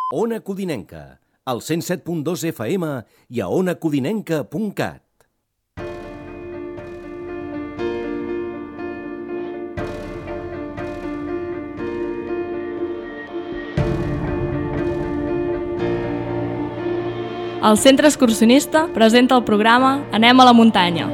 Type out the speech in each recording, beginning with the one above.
Ona Codinenca, al 107.2 FM i a onacodinenca.cat. El Centre Excursionista presenta el programa Anem a la muntanya.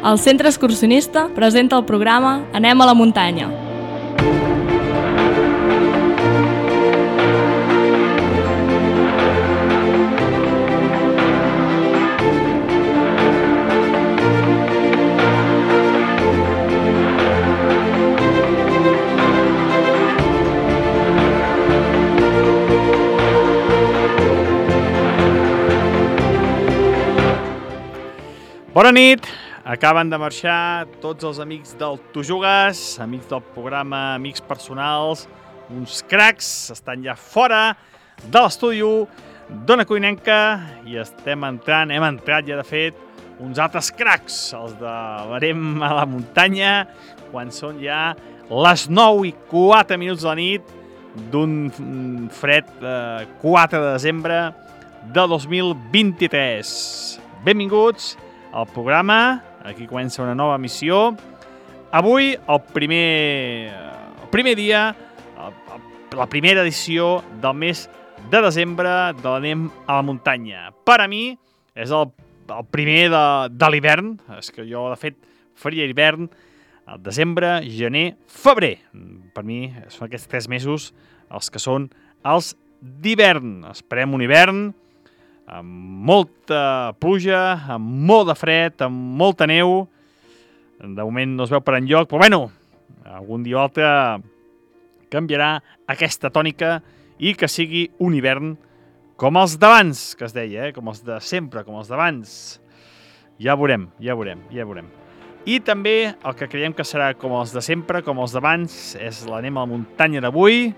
El Centre Excursionista presenta el programa Anem a la muntanya. Bona nit! Acaben de marxar tots els amics del Tu Jugues, amics del programa, amics personals, uns cracs, estan ja fora de l'estudi d'Ona Codinenca i hem entrat ja de fet, uns altres cracs, els de l'Anem a la muntanya, quan són ja les 9:04 de la nit d'un fred 4 de desembre de 2023. Benvinguts al programa. Aquí comença una nova missió. Avui, el primer dia, la primera edició del mes de desembre de l'Anem a la muntanya. Per a mi, és el primer de l'hivern. És que jo, de fet, faria hivern al desembre, gener, febrer. Per mi, són aquests 3 mesos els que són els d'hivern. Esperem un hivern amb molta pluja, amb molt de fred, amb molta neu. De moment no es veu per enlloc, però bueno, algun dia o altre canviarà aquesta tònica i que sigui un hivern com els d'abans, que es deia, com els de sempre, com els d'abans. Ja veurem. I també el que creiem que serà com els de sempre, com els d'abans, és l'Anem a la muntanya d'avui.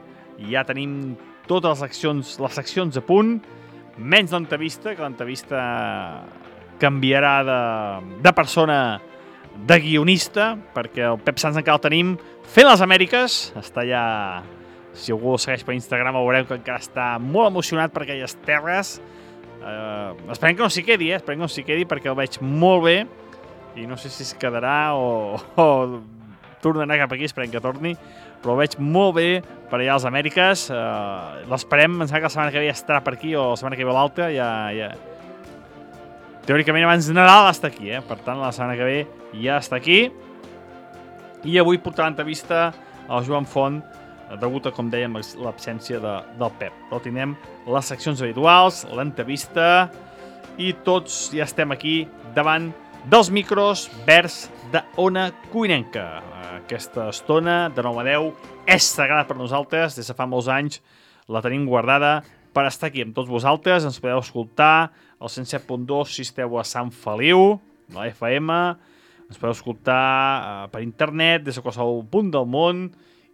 Ja tenim totes les seccions a punt, menys l'entrevista, que l'entrevista canviarà de persona, de guionista, perquè el Pep Sans encara el tenim fent les Amèriques. Està allà, si algú el segueix per Instagram, veureu que encara està molt emocionat per aquelles terres. Esperem que no s'hi quedi, esperem que no s'hi quedi, perquè el veig molt bé i no sé si es quedarà o tornarà cap aquí, esperem que torni, però el veig molt bé per allà a les Amèriques. L'esperem, em sembla que la setmana que ve ja estarà per aquí, o la setmana que ve l'altra, ja... Teòricament abans de Nadal està aquí, per tant la setmana que ve ja està aquí. I avui portarà l'entrevista al Joan Font, degut a, com dèiem, l'absència del Pep. Però tindrem les seccions habituals, l'entrevista, i tots ja estem aquí davant dels micros verds d'Ona Codinenca. Aquesta estona, de 9 a 10, és sagrada per nosaltres. Des de fa molts anys la tenim guardada per estar aquí amb tots vosaltres. Ens podeu escoltar al 107.2 si esteu a Sant Feliu, a la FM. Ens podeu escoltar per internet des de qualsevol punt del món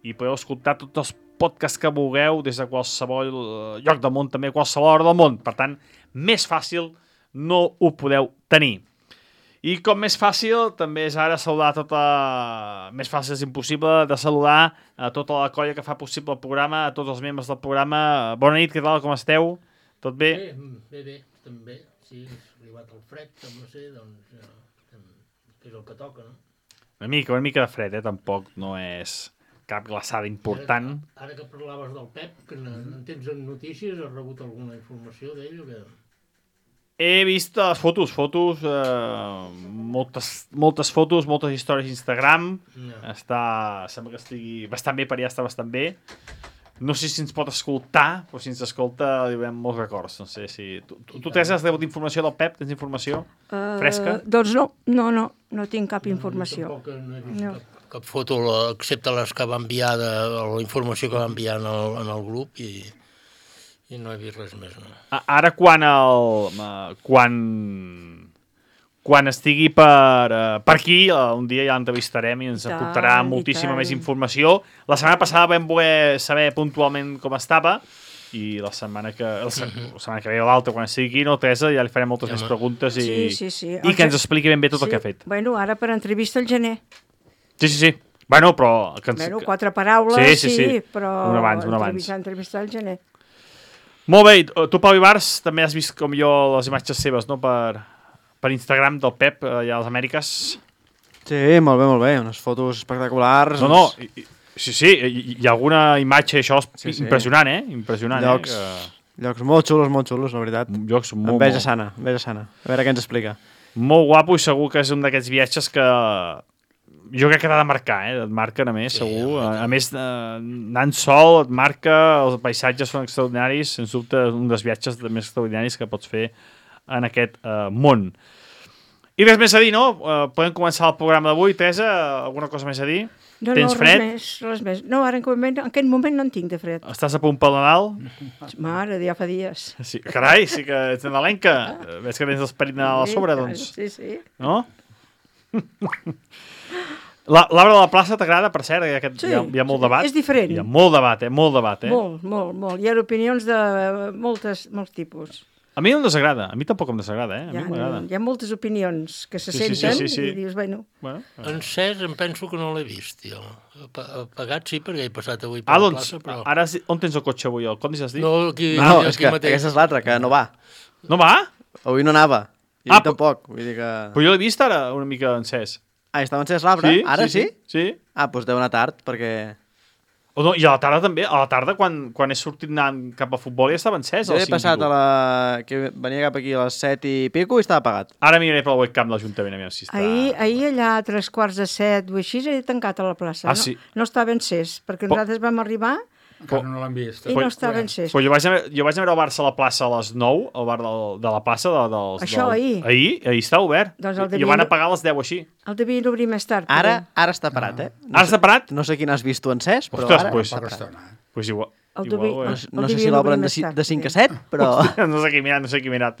i podeu escoltar tots els podcasts que vulgueu des de qualsevol lloc del món, també a qualsevol hora del món. Per tant, més fàcil no ho podeu tenir. I com més fàcil, també és ara saludar més fàcil és impossible de saludar a tota la colla que fa possible el programa, a tots els membres del programa. Bona nit, què tal, com esteu? Tot bé? Bé, també. Sí, ha arribat el fred, no sé, doncs és el que toca, no? Una mica de fred, tampoc no és cap glaçada important. Ara que parlaves del Pep, que en tens notícies, has rebut alguna informació d'ell o què? He vist les fotos, moltes fotos, moltes històries d'Instagram. Sembla que estigui bastant bé, per allà està bastant bé. No sé si ens pot escoltar, però si ens escolta li veiem molts records. No sé si... Tu Teresa, has rebut informació del Pep? Tens informació fresca? Doncs no tinc cap informació. Tampoc no he vist cap foto, excepte les que va enviar, la informació que va enviar en el grup i no he vist res més. No. Ara quan estigui per aquí, un dia ja l'entrevistarem i ens aportarà moltíssima més informació. La setmana passada vam voler saber puntualment com estava i la setmana que ve o l'altra, quan estigui aquí, Teresa, ja li farem moltes més preguntes i que ens expliqui ben bé tot el que ha fet. Bueno, ara per entrevista al gener. Sí. Bueno, però... 4 paraules, sí, però un abans. Entrevistar al gener. Molt bé, tu, Pau Ibars, també has vist com jo les imatges seves, no?, per Instagram del Pep, allà a les Amèriques. Sí, molt bé, unes fotos espectaculars. No, sí, hi ha alguna imatge, això és impressionant, Impressionant, Llocs molt xulos, la veritat. Llocs molt... Enveja sana. A veure què ens explica. Molt guapo i segur que és un d'aquests viatges que jo crec que t'ha de marcar, et marquen a més, segur. A més, anant sol et marca, els paisatges són extraordinaris, sens dubte un dels viatges més extraordinaris que pots fer en aquest món. I res més a dir, no? Podem començar el programa d'avui. Teresa, alguna cosa més a dir? Tens fred? Res més. No, ara en aquest moment no en tinc de fred. Estàs a punt pel Nadal? Mare, ja fa dies. Sí, carai, sí que ets nadalenca. Ves que tens l'esperit Nadal a sobre, doncs. Sí. No? L'arbre de la plaça t'agrada, per cert? Hi ha molt debat. És diferent. Hi ha molt debat, Molt. Molt. Hi ha opinions de molts tipus. A mi no em desagrada. A mi tampoc em desagrada, A mi m'agrada. Hi ha moltes opinions que se senten i dius, bueno... En Cés em penso que no l'he vist, jo. Pagat sí, perquè he passat avui per la plaça, però... Ara on tens el cotxe avui? El Condis has dit? No, aquí és que mateix. aquesta és l'altra, que no va. No va? Avui no anava. I tampoc. Vull dir que... Però jo l'he vist ara una mica encès. Estava encès l'arbre? Ara sí? Sí. Doncs deu anar tard, perquè... I a la tarda també. A la tarda, quan he sortit anant cap a futbol, ja estava encès. Jo he passat que venia cap aquí a les 7 i pico i estava apagat. Ara miraré pel webcam de l'Ajuntament a veure si està... Ahir allà a 3:15 o així he tancat a la plaça. Sí? No estava encès, perquè nosaltres vam arribar Encara no l'han vist. I no estava encès. Però jo vaig anar a veure el Barça a la plaça a les 9, al bar de la plaça. Això ahir? Ahir està obert. Doncs I van apagar a les 10 així. El devien obrir més tard. Ara està parat, eh? Ara està parat? No sé quin has vist tu encès, però Ostres, ara pues, està parat. Estona. Pues igual. No sé si l'obren de 5 a 7, però... No sé qui ha mirat.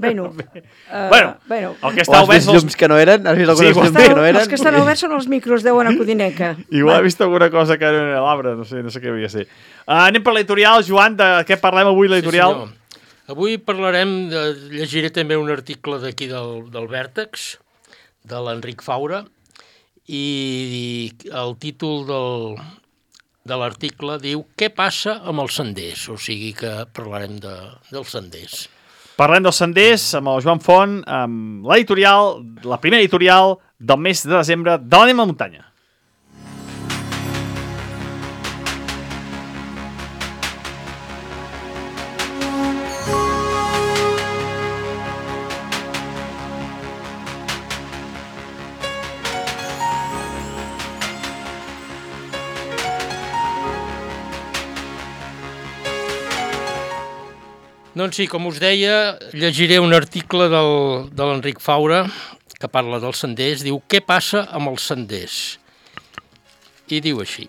Bueno, el que O està has vist llums que no eren? Has vist algunes llums que no eren? els que estan oberts són els micros d'Ona Codinenca. Igual he vist alguna cosa que era a l'arbre, no sé què havia de ser. Anem per l'editorial, Joan, de què parlem avui, l'editorial? Sí, avui llegiré també un article d'aquí del Vèrtex, de l'Enric Faura, i el títol de l'article diu «Què passa amb els senders?», o sigui que parlarem dels senders. Parlem dels senders amb el Joan Font, amb l'editorial, la primera editorial del mes de desembre de l'Anem a la Muntanya. Doncs sí, com us deia, llegiré un article de l'Enric Faura que parla dels senders. Diu, què passa amb els senders? I diu així.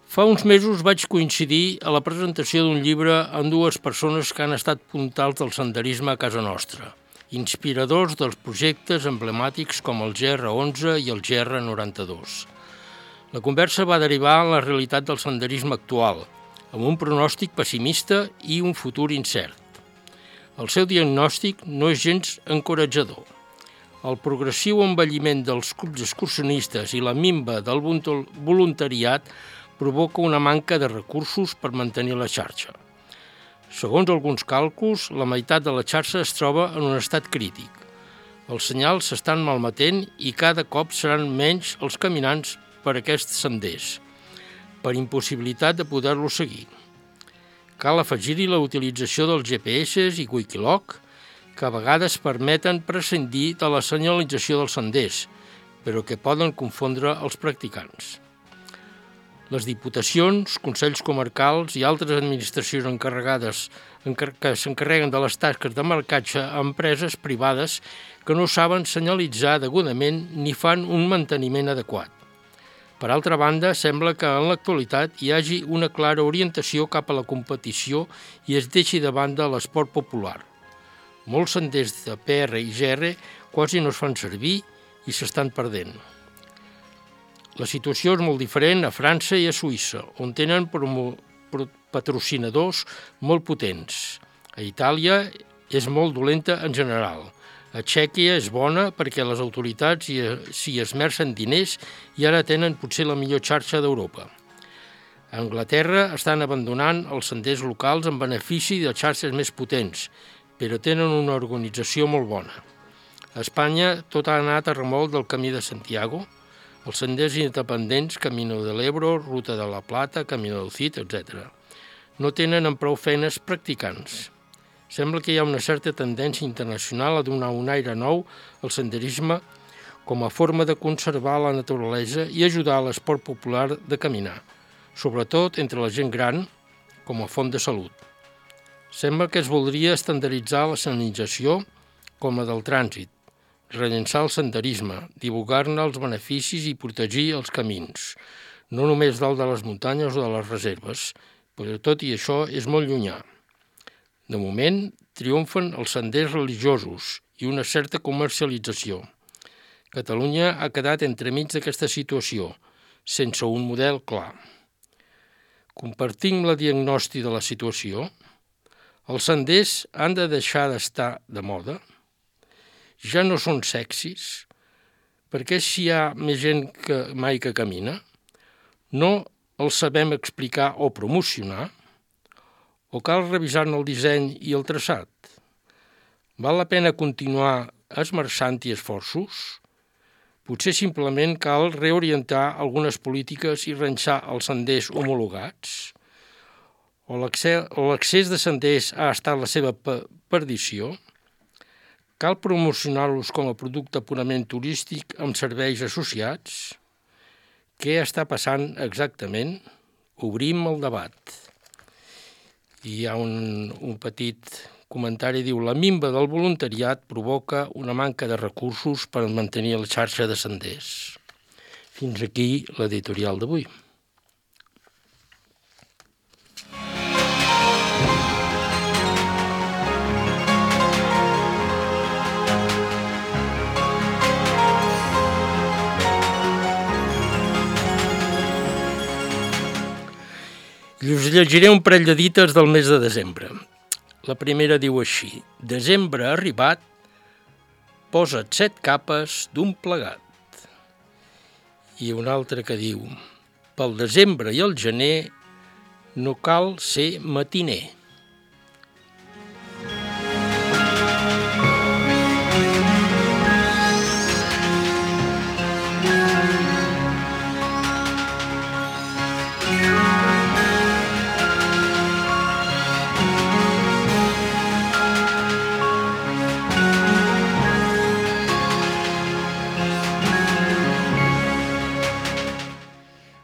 Fa uns mesos vaig coincidir a la presentació d'un llibre amb dues persones que han estat puntals del senderisme a casa nostra, inspiradors dels projectes emblemàtics com el GR11 i el GR92. La conversa va derivar en la realitat del senderisme actual, amb un pronòstic pessimista i un futur incert. El seu diagnòstic no és gens encoratjador. El progressiu envelliment dels clubs excursionistes i la minva del voluntariat provoca una manca de recursos per mantenir la xarxa. Segons alguns càlculs, la meitat de la xarxa es troba en un estat crític. Els senyals s'estan malmetent i cada cop seran menys els caminants per aquests senders, per impossibilitat de poder-lo seguir. Cal afegir-hi la utilització dels GPS i Wikiloc, que a vegades permeten prescindir de la senyalització dels senders, però que poden confondre els practicants. Les diputacions, consells comarcals i altres administracions encarregades que s'encarreguen de les tasques de marcatge a empreses privades que no saben senyalitzar degudament ni fan un manteniment adequat. Per altra banda, sembla que en l'actualitat hi hagi una clara orientació cap a la competició i es deixi de banda l'esport popular. Molts senders de PR i GR quasi no es fan servir i s'estan perdent. La situació és molt diferent a França i a Suïssa, on tenen patrocinadors molt potents. A Itàlia és molt dolenta en general. A Txèquia és bona perquè les autoritats s'hi esmercen diners i ara tenen potser la millor xarxa d'Europa. A Anglaterra estan abandonant els senders locals en benefici de xarxes més potents, però tenen una organització molt bona. A Espanya tot ha anat a remolc del Camí de Santiago, els senders independents, Camino de l'Ebro, Ruta de la Plata, Camino del Cid, etc. No tenen amb prou feines practicants. Sembla que hi ha una certa tendència internacional a donar un aire nou al senderisme com a forma de conservar la naturalesa i ajudar a l'esport popular de caminar, sobretot entre la gent gran, com a font de salut. Sembla que es voldria estandarditzar la senyalització com la del trànsit, rellençar el senderisme, divulgar-ne els beneficis i protegir els camins, no només dalt de les muntanyes o de les reserves, però tot i això és molt llunyà. De moment, triomfen els senders religiosos i una certa comercialització. Catalunya ha quedat entremig d'aquesta situació, sense un model clar. Compartim la diagnòstica de la situació. Els senders han de deixar d'estar de moda. Ja no són sexis. Per què si hi ha més gent que mai que camina? No els sabem explicar o promocionar? O cal revisar-ne el disseny i el traçat? Val la pena continuar esmerçant-hi esforços? Potser simplement cal reorientar algunes polítiques i renxar els senders homologats? O l'accés de senders ha estat la seva perdició? Cal promocionar-los com a producte purament turístic amb serveis associats? Què està passant exactament? Obrim el debat. I hi ha un petit comentari, diu: la minva del voluntariat provoca una manca de recursos per mantenir la xarxa de senders. Fins aquí l'editorial d'avui. I us llegiré un parell de dites del mes de desembre. La primera diu així: desembre arribat, posa't 7 capes d'un plegat. I una altra que diu: pel desembre i el gener no cal ser matiner.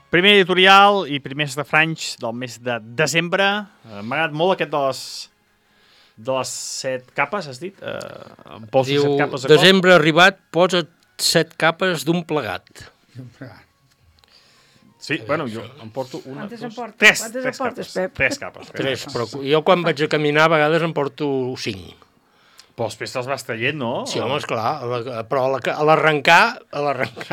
Primer editorial i primers refranys del mes de desembre. M'ha agradat molt aquest de les 7 capes, has dit? Diu, desembre arribat, posa't 7 capes d'un plegat. Sí, bueno, jo em porto una, Quantes en portes? tres Quantes en portes, capes. Pep? 3 capes. 3, però jo quan vaig a caminar a vegades em porto 5. Però després te'ls vas traient, no? Sí, home, esclar, però a l'arrencar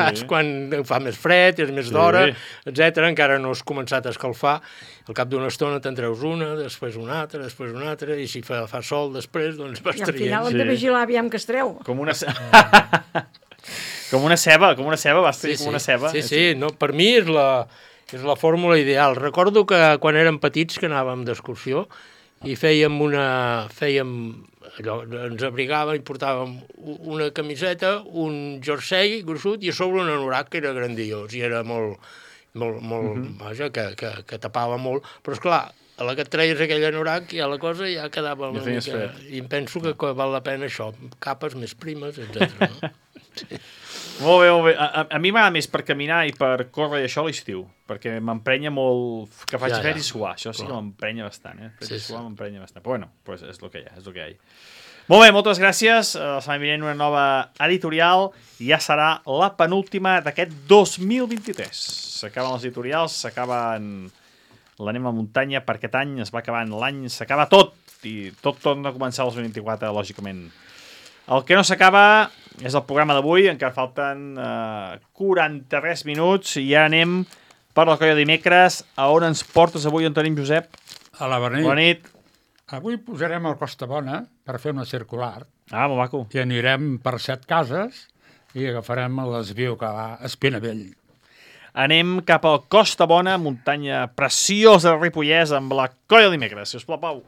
és quan fa més fred, és més d'hora, etc. Encara no has començat a escalfar. Al cap d'una estona te'n treus una, després una altra, i si fa sol després, doncs vas traient. I al final hem de vigilar aviam que es treu. Com una ceba, vas traient com una ceba. Sí, no, per mi és la fórmula ideal. Recordo que quan érem petits que anàvem d'excursió i fèiem allò, ens abrigàvem i portàvem una camiseta, un jersei gruixut i a sobre un anorac que era grandiós i era molt vaja, que tapava molt. Però esclar, a la que et treies aquell anorac ja la cosa ja quedava una mica... I em penso que val la pena això, capes més primes, etc. No? Sí. Molt bé. A mi m'agrada més per caminar i per córrer i això a l'estiu, perquè m'emprenya molt que faci fred i suar. Això sí que m'emprenya bastant, m'emprenya bastant. Però bueno, pues és el que hi ha, Molt bé, moltes gràcies. La setmana vinent una nova editorial i ja serà la penúltima d'aquest 2023. S'acaben els editorials, s'acaben l'Anem a la muntanya, per aquest any es va acabant l'any, s'acaba tot i tot torna a començar el 2024, lògicament. El que no s'acaba és el programa d'avui, encara falten 43 minuts i ja anem per la colla dimecres. A on ens portes avui, on tenim Josep? A la Bona nit. Avui posarem el Costa Bona per fer una circular. Molt maco. I anirem per 7 cases i agafarem el desviu que va a Espinavell. Anem cap al Costa Bona, muntanya preciosa de Ripollès, amb la colla dimecres. Si us plau, Pau.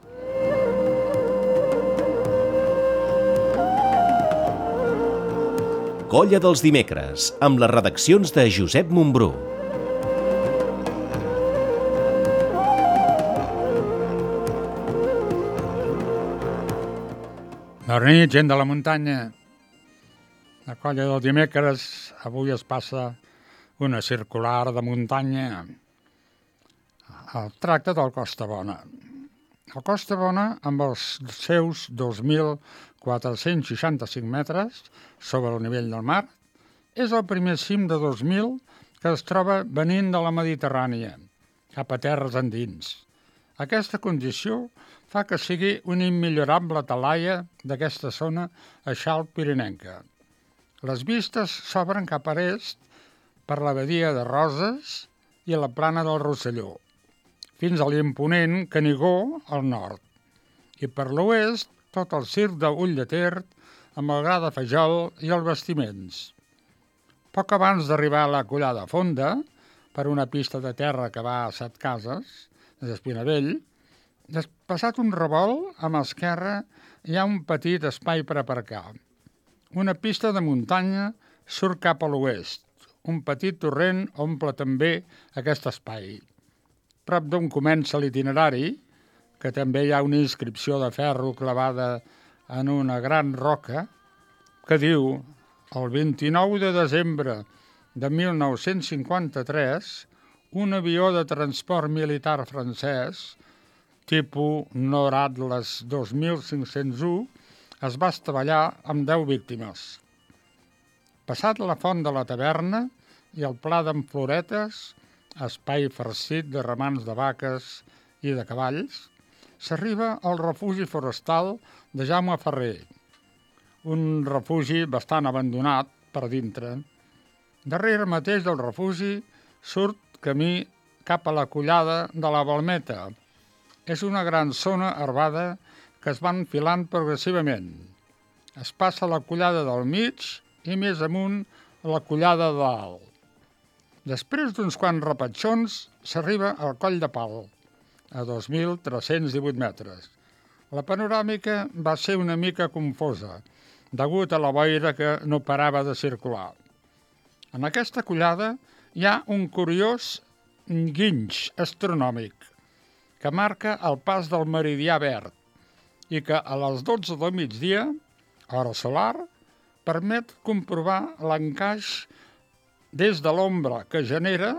Colla dels dimecres, amb les redaccions de Josep Montbrú. Bona nit, gent de la muntanya. La colla del dimecres, avui es passa una circular de muntanya. El tracte del Costa Bona. El Costa Bona, amb els seus 2.465 metres sobre el nivell del mar, és el primer cim de 2.000 que es troba venint de la Mediterrània, cap a terres endins. Aquesta condició fa que sigui una immillorable talaia d'aquesta zona eixalt pirinenca. Les vistes s'obren cap a l'est per la badia de Roses i la plana del Rosselló, fins a l'imponent Canigó al nord, i per l'oest tot el circ d'Ull de Ter amb el gra de Fajol i els bastiments. Poc abans d'arribar a la Collada Fonda, per una pista de terra que va a 7 cases, d'Espinavell, passat un revolt, a mà esquerra hi ha un petit espai per aparcar. Una pista de muntanya surt cap a l'oest. Un petit torrent omple també aquest espai. Prop d'on comença l'itinerari, que també hi ha una inscripció de ferro clavada en una gran roca, que diu: el 29 de desembre de 1953, un avió de transport militar francès, tipus Nord Atlas 2501, es va estavellar amb 10 víctimes. Passat la font de la taverna i el pla d'en Floretes, espai farcit de ramants de vaques i de cavalls, s'arriba al refugi forestal de Jaume Ferrer, un refugi bastant abandonat per dintre. Darrere mateix del refugi surt camí cap a la collada de la Balmeta. És una gran zona herbada que es va enfilant progressivament. Es passa la collada del mig i més amunt la collada de dalt. Després d'uns quants repatxons s'arriba al Coll de Pal, a 2.318 metres. La panoràmica va ser una mica confosa, degut a la boira que no parava de circular. En aquesta collada hi ha un curiós guinx astronòmic que marca el pas del meridià verd i que a les 12 del migdia, hora solar, permet comprovar l'encaix des de l'ombra que genera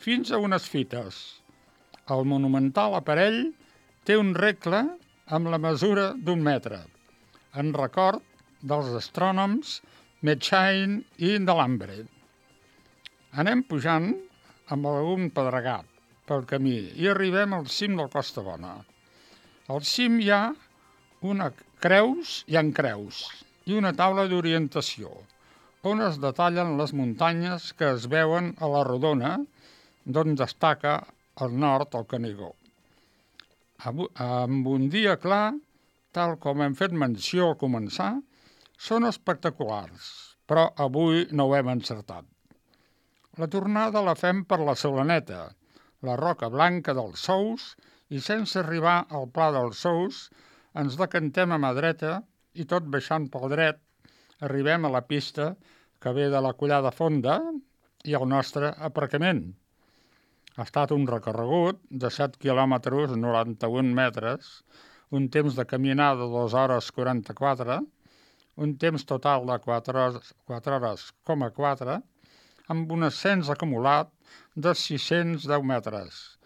fins a unes fites. El monumental aparell té un regle amb la mesura d'1 metre, en record dels astrònoms Metchain i Delambre. Anem pujant amb algun pedregat pel camí i arribem al cim del Costa Bona. Al cim hi ha creus i una taula d'orientació, on es detallen les muntanyes que es veuen a la rodona, d'on destaca al nord el Canigó. Amb un dia clar, tal com hem fet menció al començar, són espectaculars, però avui no ho hem encertat. La tornada la fem per la Solaneta, la Roca Blanca dels Sous, i sense arribar al Pla dels Sous ens decantem a mà dreta i tot baixant pel dret arribem a la pista que ve de la Collada Fonda i el nostre aparcament. Ha estat un recorregut de 7 quilòmetres, 91 metres, un temps de caminada de 2 hores 44, un temps total de 4 hores, 4, amb un ascens acumulat de 610 metres,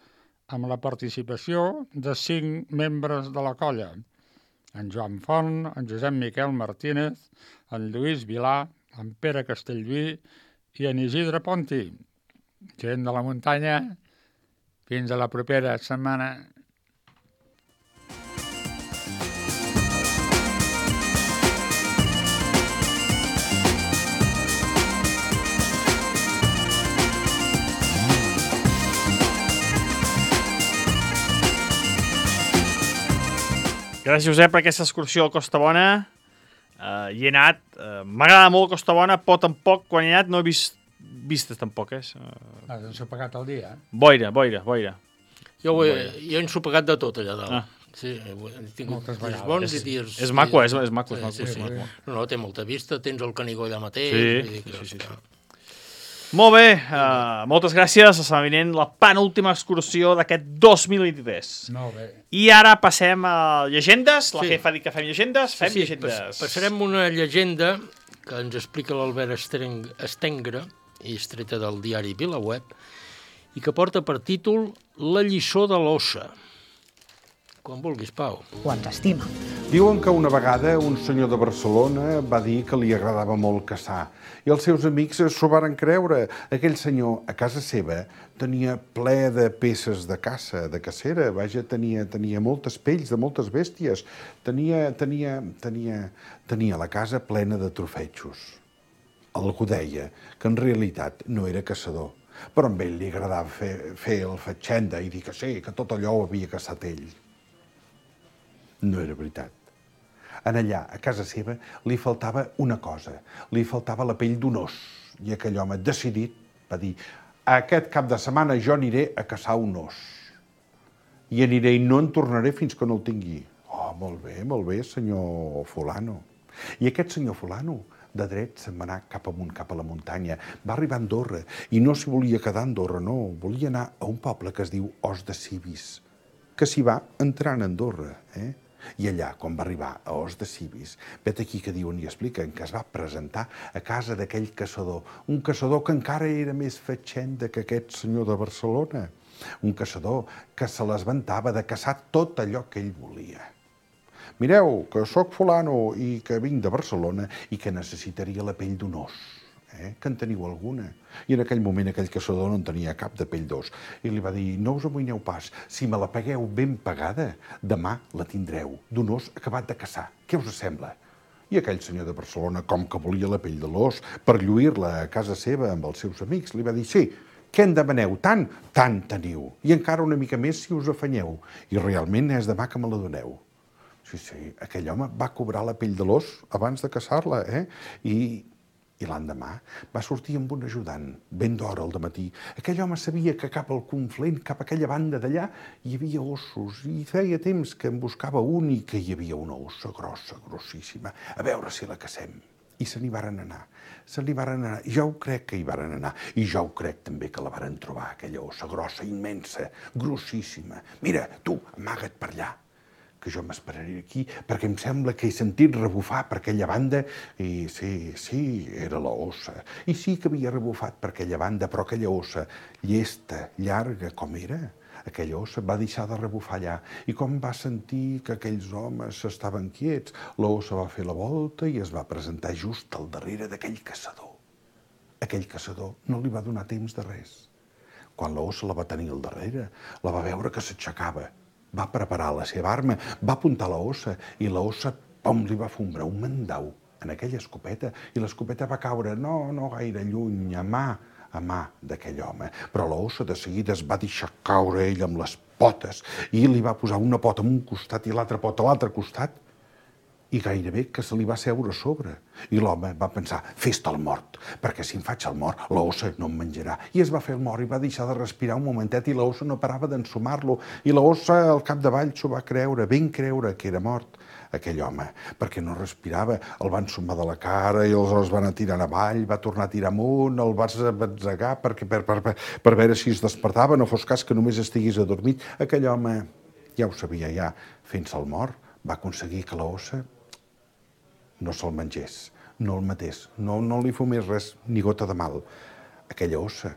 amb la participació de 5 membres de la colla, en Joan Font, en Josep Miquel Martínez, en Lluís Vilà, en Pere Castellví i en Isidre Ponti. Gent de la muntanya, fins a la propera setmana. Gràcies, Josep, per aquesta excursió al Costa Bona. Hi he anat. M'agrada molt Costa Bona, però tampoc, quan he anat, no he vist vistes tampoc, Has ensopegat el dia, Boira. Jo he ensopegat de tot allà dalt. Sí, he tingut dies bons i dies... És maco, és maco. Sí. No, té molta vista, tens el Canigó allà mateix. Sí. Molt bé, moltes gràcies. La setmana vinent, la penúltima excursió d'aquest 2023. Molt bé. I ara passem a llegendes. La jefa ha dit que fem llegendes. Fem llegendes. Passarem una llegenda que ens explica l'Albert Estengre, i estreta del diari VilaWeb, i que porta per títol La lliçó de l'ossa. Quan vulguis, Pau. O ens estima. Diuen que una vegada un senyor de Barcelona va dir que li agradava molt caçar i els seus amics s'ho varen creure. Aquell senyor, a casa seva, tenia ple de peces de caça, de cacera. Vaja, tenia moltes pells de moltes bèsties. Tenia la casa plena de trofetxos. Algú deia que en realitat no era caçador, però a ell li agradava fer el fatxenda i dir que sí, que tot allò ho havia caçat ell. No era veritat. En allà, a casa seva, li faltava una cosa. Li faltava la pell d'un os. I aquell home, decidit, va dir: aquest cap de setmana jo aniré a caçar un os. I aniré i no en tornaré fins que no el tingui. Oh, molt bé, senyor fulano. I aquest senyor fulano, de dret, se'n va anar cap amunt, cap a la muntanya. Va arribar a Andorra i no s'hi volia quedar a Andorra, no. Volia anar a un poble que es diu Os de Cibis, que s'hi va entrar a Andorra, I allà, quan va arribar a Os de Cibis, vet aquí que diuen i expliquen que es va presentar a casa d'aquell caçador, un caçador que encara era més fatxenda que aquest senyor de Barcelona, un caçador que se l'esventava de caçar tot allò que ell volia. Mireu, que sóc fulano i que vinc de Barcelona i que necessitaria la pell d'un os. Que en teniu alguna? I en aquell moment aquell caçador no en tenia cap de pell d'os. I li va dir, no us amoïneu pas, si me la pagueu ben pagada, demà la tindreu, d'un os acabat de caçar. Què us sembla? I aquell senyor de Barcelona, com que volia la pell de l'os per lluir-la a casa seva amb els seus amics, li va dir, sí, què en demaneu? Tant? Tant teniu. I encara una mica més si us afanyeu. I realment és demà que me la doneu. Sí, aquell home va cobrar la pell de l'os abans de caçar-la, I l'endemà va sortir amb un ajudant, ben d'hora al dematí. Aquell home sabia que cap al conflent, cap a aquella banda d'allà, hi havia ossos, i feia temps que en buscava un i que hi havia una ossa grossa, grossíssima, a veure si la cacem. I se n'hi varen anar. Jo ho crec que hi varen anar. I jo ho crec també que la varen trobar, aquella ossa grossa, immensa, grossíssima. Mira, tu, amaga't per allà, que jo m'esperaré aquí, perquè em sembla que he sentit rebufar per aquella banda, i sí, era la ossa. I sí que havia rebufat per aquella banda, però aquella ossa, llesta, llarga, com era, aquella ossa va deixar de rebufar allà. I com va sentir que aquells homes estaven quiets, la ossa va fer la volta i es va presentar just al darrere d'aquell caçador. Aquell caçador no li va donar temps de res. Quan la ossa la va tenir al darrere, la va veure que s'aixecava, va preparar la seva arma, va apuntar la ossa i la ossa, pom, li va fombrar un mandau en aquella escopeta i l'escopeta va caure no gaire lluny, a mà d'aquell home. Però la ossa de seguida es va deixar caure ell amb les potes i li va posar una pota en un costat i l'altra pota a l'altre costat i gairebé que se li va seure a sobre. I l'home va pensar, fes-te el mort, perquè si em faig el mort, la ossa no em menjarà. I es va fer el mort i va deixar de respirar un momentet i la ossa no parava d'ensumar-lo. I la ossa al capdavall s'ho va creure, ben creure que era mort aquell home, perquè no respirava. El van ensumar de la cara i els van tirar avall, va tornar a tirar amunt, el va batzegar per veure si es despertava, no fos cas que només estigués adormit. Aquell home, ja ho sabia ja, fent-se el mort, va aconseguir que la ossa no se'l mengés, no el matés, no li fumés res, ni gota de mal. Aquella ossa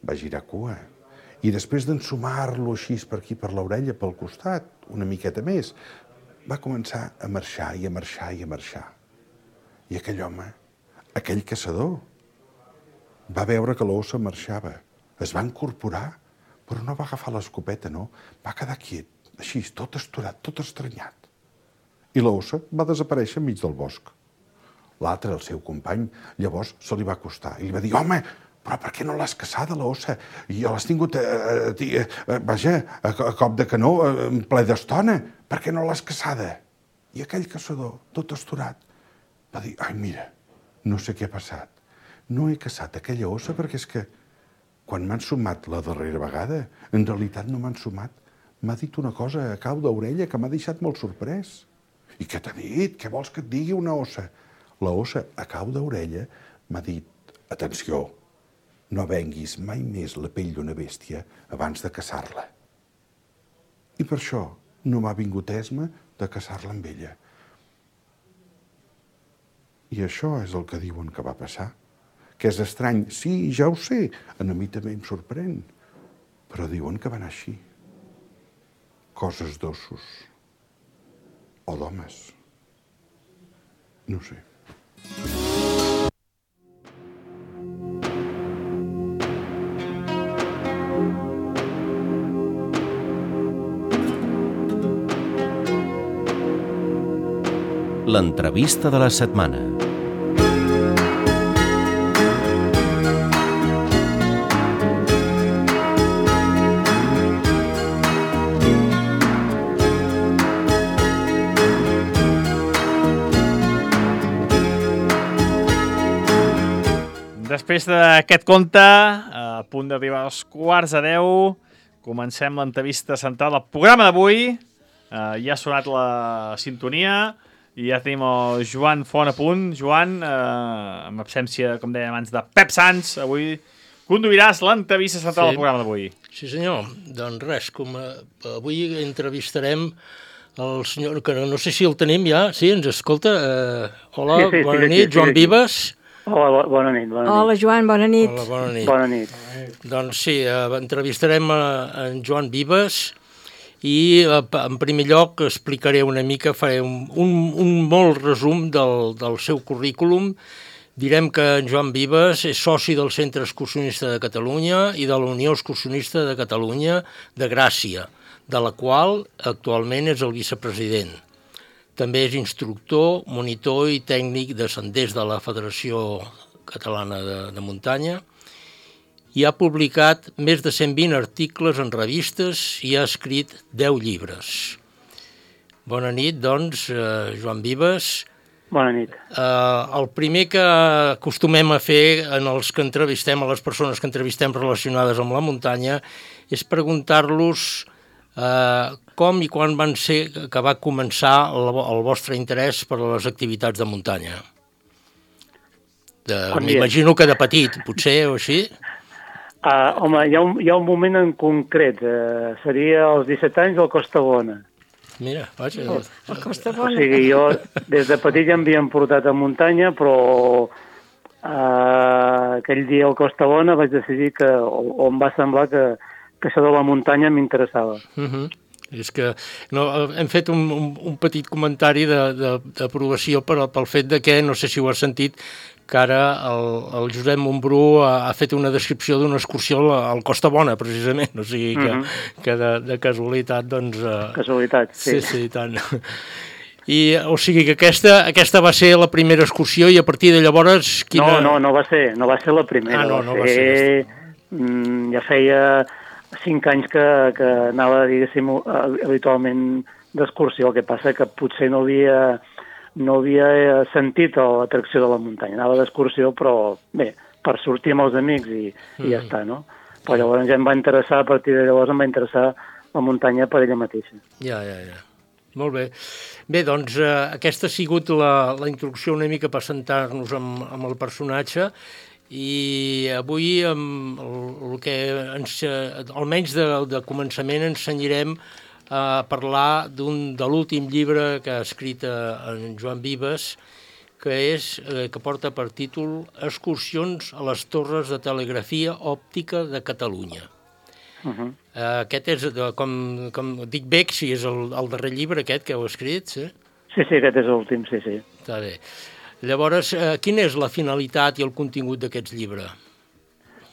va girar cua i després d'ensumar-lo així per aquí, per l'orella, pel costat, una miqueta més, va començar a marxar i a marxar i a marxar. I aquell home, aquell caçador, va veure que l'ossa marxava, es va incorporar, però no va agafar l'escopeta, no, va quedar quiet, així, tot esturat, tot estranyat. I l'ossa va desaparèixer enmig del bosc. L'altre, el seu company, llavors se li va acostar i li va dir, home, però per què no l'has caçada, l'ossa? Jo l'has tingut, vaja, a cop de canó, en ple d'estona. Per què no l'has caçada? I aquell caçador, tot esturat, va dir, ai, mira, no sé què ha passat. No he caçat aquella ossa perquè és que quan m'han sumat la darrera vegada, en realitat no m'han sumat. M'ha dit una cosa a cau d'orella que m'ha deixat molt sorprès. I què t'ha dit? Què vols que et digui una ossa? La ossa, a cau d'orella, m'ha dit, atenció, no venguis mai més la pell d'una bèstia abans de caçar-la. I per això no m'ha vingut esma de caçar-la amb ella. I això és el que diuen que va passar. Que és estrany. Sí, ja ho sé, a mi també em sorprèn. Però diuen que va anar així. Coses d'ossos. O d'homes. No ho sé. L'entrevista de la setmana. Després d'aquest conte, a punt d'arribar als 9:15, comencem l'entrevista central del programa d'avui. Ja ha sonat la sintonia i ja tenim el Joan Font a punt. Joan, amb absència, com dèiem abans, de Pep Sans, avui conduiràs l'entrevista central del programa d'avui. Sí, senyor. Doncs res, com avui entrevistarem el senyor, que no sé si el tenim ja, sí, ens escolta. Hola, Sí, bona sí, nit, sí, Joan sí. Vives. Hola, bona nit. Hola, Joan, bona nit. Hola, bona nit. Bona nit. Doncs sí, entrevistarem en Joan Vives i en primer lloc explicaré una mica, faré un molt resum del seu currículum. Direm que en Joan Vives és soci del Centre Excursionista de Catalunya i de la Unió Excursionista de Catalunya de Gràcia, de la qual actualment és el vicepresident. També és instructor, monitor i tècnic de senders de la Federació Catalana de Muntanya i ha publicat més de 120 articles en revistes i ha escrit 10 llibres. Bona nit, doncs, Joan Vives. Bona nit. El primer que acostumem a fer en els que entrevistem, a les persones que entrevistem relacionades amb la muntanya, és preguntar-los com i quan van ser que va començar el vostre interès per a les activitats de muntanya. M'imagino que de petit, potser, o així? Home, hi ha un moment en concret. Seria als 17 anys al Costa Bona. Mira, vaja. El Costa O Bona. sigui, jo des de petit ja m'havien portat a muntanya, però aquell dia al Costa Bona vaig decidir o em va semblar que això de la muntanya m'interessava. És que hem fet un petit comentari d'aprovació pel fet de que, no sé si ho has sentit, que ara el Josep Montbrú ha fet una descripció d'una excursió al Costa Bona, precisament, o sigui que de casualitat, doncs... Casualitat, sí. Sí, tant. I, o sigui que aquesta va ser la primera excursió i a partir de llavors... No va ser la primera. No va ser. Ja feia 5 anys que anava, diguéssim, habitualment d'excursió. El que passa que potser no havia sentit l'atracció de la muntanya. Anava d'excursió, però bé, per sortir amb els amics i ja està, no? Però llavors ja em va interessar, a partir de llavors em va interessar la muntanya per ella mateixa. Ja. Molt bé. Bé, doncs aquesta ha sigut la introducció una mica per sentar-nos amb el personatge i avui el que almenys de començament ens cenyirem a parlar de l'últim llibre que ha escrit en Joan Vives, que porta per títol Excursions a les torres de telegrafia òptica de Catalunya. Aquest és, com dic bé, si és el darrer llibre aquest que heu escrit, sí? Sí, aquest és l'últim, sí. Està bé. Llavors, quina és la finalitat i el contingut d'aquest llibre?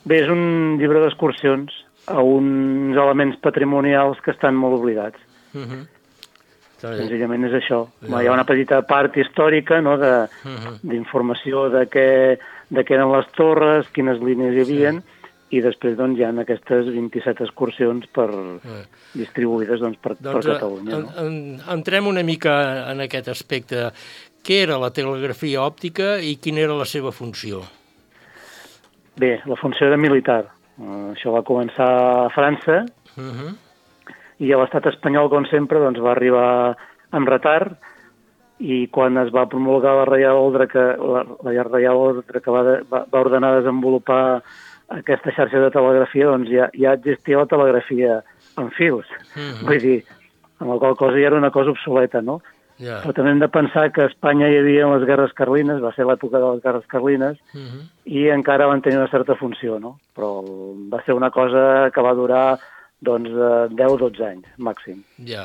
Bé, és un llibre d'excursions a uns elements patrimonials que estan molt oblidats. Senzillament és això. Hi ha una petita part històrica, no, d'informació de què eren les torres, quines línies hi havia, i després doncs, hi ha aquestes 27 excursions distribuïdes per Catalunya. Entrem una mica en aquest aspecte. Què era la telegrafia òptica i quina era la seva funció? Bé, la funció era militar. Això va començar a França i a l'estat espanyol, com sempre, doncs, va arribar amb retard i quan es va promulgar la Reial Ordre que va ordenar desenvolupar aquesta xarxa de telegrafia, doncs ja existia la telegrafia en fils. Vull dir, amb la qual cosa ja era una cosa obsoleta, no? Però també hem de pensar que a Espanya hi havia les guerres carlines, va ser l'època de les guerres carlines, i encara van tenir una certa funció, no? Però va ser una cosa que va durar, doncs, 10-12 anys, màxim. Ja.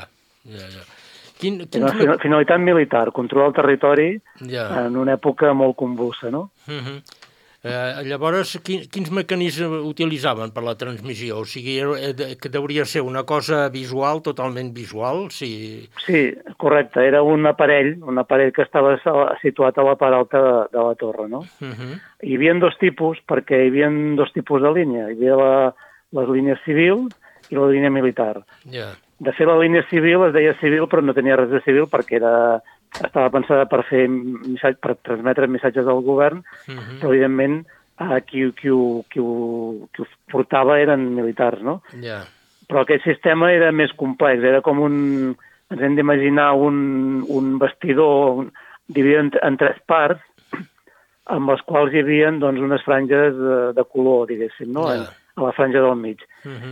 Una finalitat militar, controlar el territori en una època molt convulsa, no? Llavors, quins mecanismes utilitzaven per la transmissió? O sigui, que hauria ser una cosa visual, totalment visual? Sí, correcte. Era un aparell que estava situat a la part alta de la torre, no? Hi havia dos tipus, perquè hi havia dos tipus de línia. Hi havia les línies civil i la línia militar. De fet, la línia civil es deia civil, però no tenia res de civil perquè estava pensada per transmetre missatges al govern, però evidentment qui ho portava eren militars, no? Però aquest sistema era més complex, era com ens hem d'imaginar un bastidor dividit en 3 parts, amb les quals hi havia doncs, unes franges de color, diguéssim, no? A la franja del mig.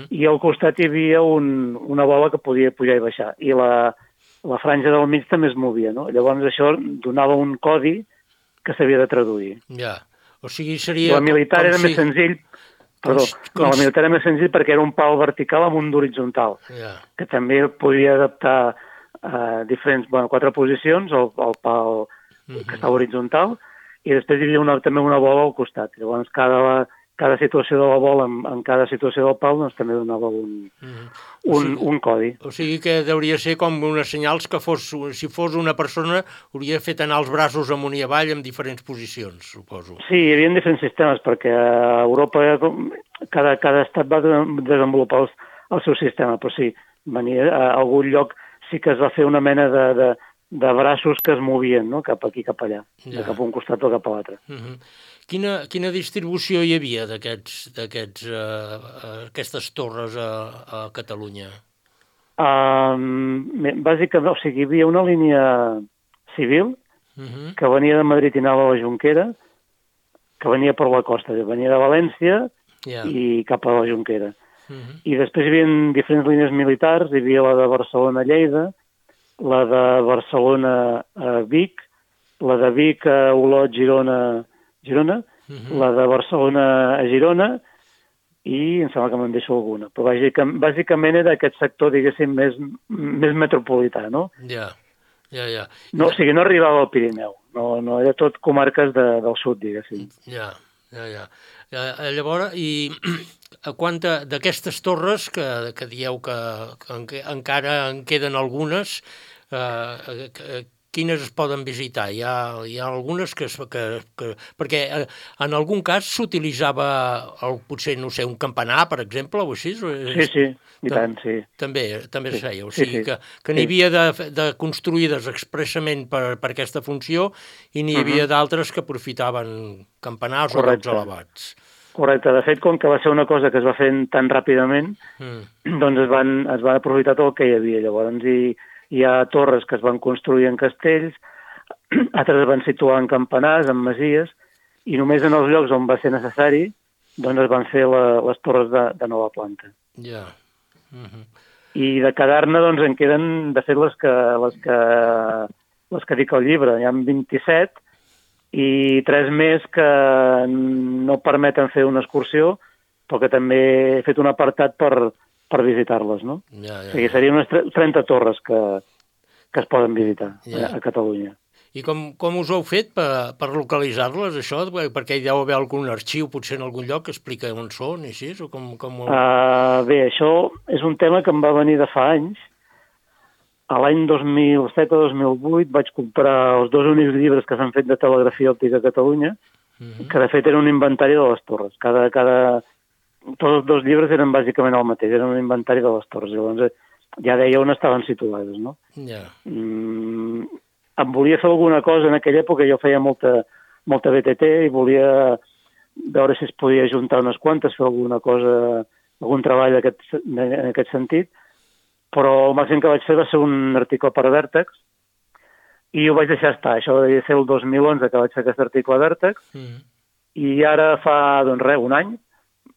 I al costat hi havia una bola que podia pujar i baixar. I la franja del mig també es movia, no? Llavors això donava un codi que s'havia de traduir. Ja, o sigui, seria... La militar era més senzill, la militar era més senzill perquè era un pal vertical amb un d'horitzontal, que també podia adaptar diferents, 4 posicions, el pal que estava horitzontal, i després hi havia també una bola al costat. Llavors cada situació de la bola en cada situació del pal doncs, també donava un codi. O sigui que hauria ser com unes senyals que si fos una persona hauria fet anar els braços amunt i avall en diferents posicions, suposo. Sí, hi havia diferents sistemes, perquè a Europa cada estat va desenvolupar el seu sistema, però sí, a algun lloc sí que es va fer una mena de braços que es movien, no? Cap aquí, cap allà, de cap a un costat o cap a l'altre. Quina distribució hi havia d'aquestes torres a Catalunya? Bàsicament, o sigui, hi havia una línia civil que venia de Madrid i anava a la Jonquera, que venia per la costa, venia de València i cap a la Jonquera. I després hi havia diferents línies militars, hi havia la de Barcelona a Lleida, la de Barcelona a Vic, la de Vic a Olot, Girona, la de Barcelona a Girona, i em sembla que me'n deixo alguna. Però bàsicament era aquest sector, diguéssim, més metropolità, no? Ja. No, o sigui, no arribava al Pirineu, no era tot comarques del sud, diguéssim. Ja. Llavors, i d'aquestes torres que dieu que encara en queden algunes, quines es poden visitar? Hi ha algunes que perquè en algun cas s'utilitzava potser, no sé, un campanar, per exemple, o així? Sí, i tant, sí. També es feia, o sigui que n'hi havia de construïdes expressament per aquesta funció i n'hi havia d'altres que aprofitaven campanars o llocs elevats. Correcte, de fet, com que va ser una cosa que es va fer tan ràpidament, doncs es va aprofitar tot el que hi havia. Llavors hi ha torres que es van construir en castells, altres es van situar en campanars, en masies, i només en els llocs on va ser necessari doncs es van fer les torres de nova planta. Ja. I de quedar-ne doncs en queden, de fet, les que dic al llibre. Hi ha 27 i 3 més que no permeten fer una excursió, però que també he fet un apartat per visitar-les, no? O sigui, serien unes 30 torres que es poden visitar a Catalunya. I com us ho heu fet per localitzar-les, això? Perquè hi deu haver algun arxiu, potser en algun lloc, que explica on són, i així? Bé, això és un tema que em va venir de fa anys. A l'any 2007 o 2008 vaig comprar els 2 únics llibres que s'han fet de telegrafia òptica a Catalunya, que de fet era un inventari de les torres. Tots els 2 llibres eren bàsicament el mateix, eren un inventari de les torres. Llavors ja deia on estaven situades, no? Em volia fer alguna cosa en aquella època, jo feia molta BTT i volia veure si es podia juntar unes quantes, fer alguna cosa, algun treball en aquest sentit, però el màxim que vaig fer va ser un article per Vèrtex i ho vaig deixar estar. Això devia ser el 2011 que vaig fer aquest article a Vèrtex i ara fa, doncs res, un any,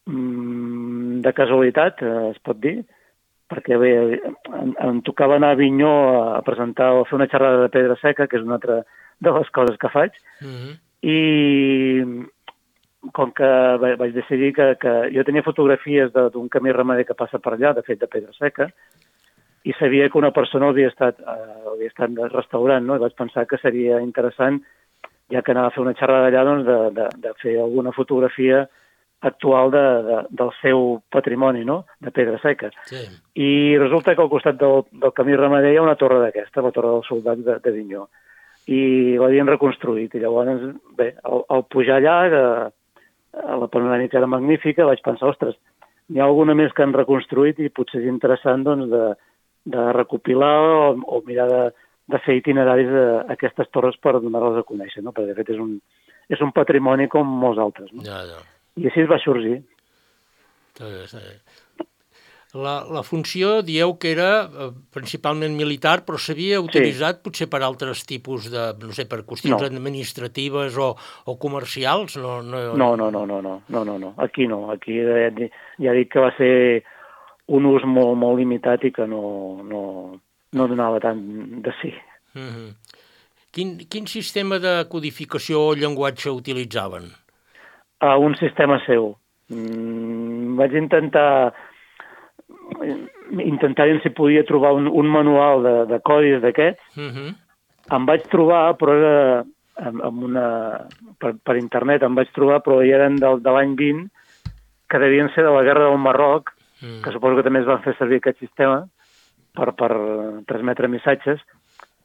de casualitat, es pot dir, perquè bé, em tocava anar a Avinyó a presentar o a fer una xerrada de pedra seca, que és una altra de les coses que faig, i com que vaig decidir que jo tenia fotografies d'un camí ramader que passa per allà, de fet de pedra seca, i sabia que una persona havia estat restaurant, no? I vaig pensar que seria interessant, ja que anava a fer una xerrada allà, doncs, de fer alguna fotografia actual del seu patrimoni, no?, de pedra seca. I resulta que al costat del camí ramader hi ha una torre d'aquesta, la torre del soldat d'Avinyó, i l'havien reconstruït. I llavors, bé, al pujar allà, la panoràmica era magnífica, vaig pensar, ostres, n'hi ha alguna més que han reconstruït i potser és interessant, doncs, de recopilar o mirar de fer itineraris d'aquestes torres per donar-les a conèixer, no? Perquè de fet és un patrimoni com molts altres, no? I així es va sorgir. La funció, dieu que era principalment militar, però s'havia utilitzat potser per altres tipus de, no sé, per qüestions administratives o comercials? No. Aquí no. Aquí ja dic que va ser un ús molt, molt limitat i que no no donava tant de sí. Quin sistema de codificació o llenguatge utilitzaven? Un sistema seu. Vaig intentar si podia trobar un manual de codis d'aquests. Em vaig trobar, però era per internet, em vaig trobar, però ja eren de l'any 20, que devien ser de la guerra del Marroc, que suposo que també es van fer servir aquest sistema per transmetre missatges,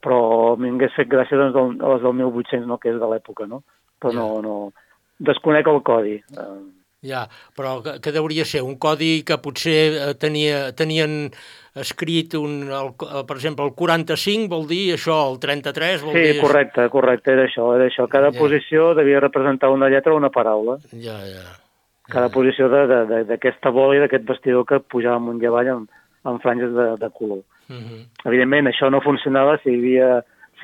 però m'hagués fet gràcia a les del 1800, no, que és de l'època, no? Però no desconec el codi. Ja, però que deuria ser? Un codi que potser tenien escrit, per exemple, el 45 vol dir això, el 33 vol dir... Sí, correcte, era això. Cada posició devia representar una lletra o una paraula. Ja. Cada posició d'aquesta bola i d'aquest vestidor que pujava amunt i avall amb franges de color. Evidentment, això no funcionava si hi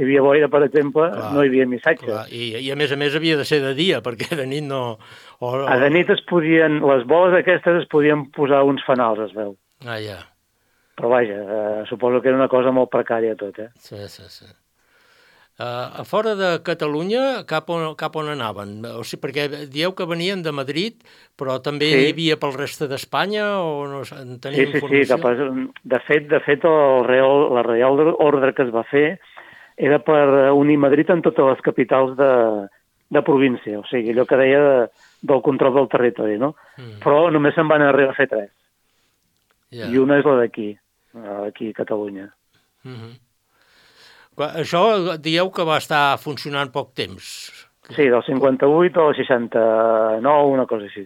havia boira, per exemple, no hi havia missatge. I a més havia de ser de dia, perquè de nit no... De nit les boles aquestes es podien posar uns fanals, es veu. Ja. Però vaja, suposo que era una cosa molt precària tot, Sí. A fora de Catalunya, cap on anaven? O sigui, perquè dieu que venien de Madrid, però també hi havia pel reste d'Espanya o no tenim informació? Sí. De fet, la Reial Ordre que es va fer era per unir Madrid amb totes les capitals de província, o sigui, allò que deia del control del territori, no? Però només se'n van arribar a fer 3. I una és la d'aquí a Catalunya. Això dieu que va estar funcionant poc temps. Sí, del 58 al 69, una cosa així.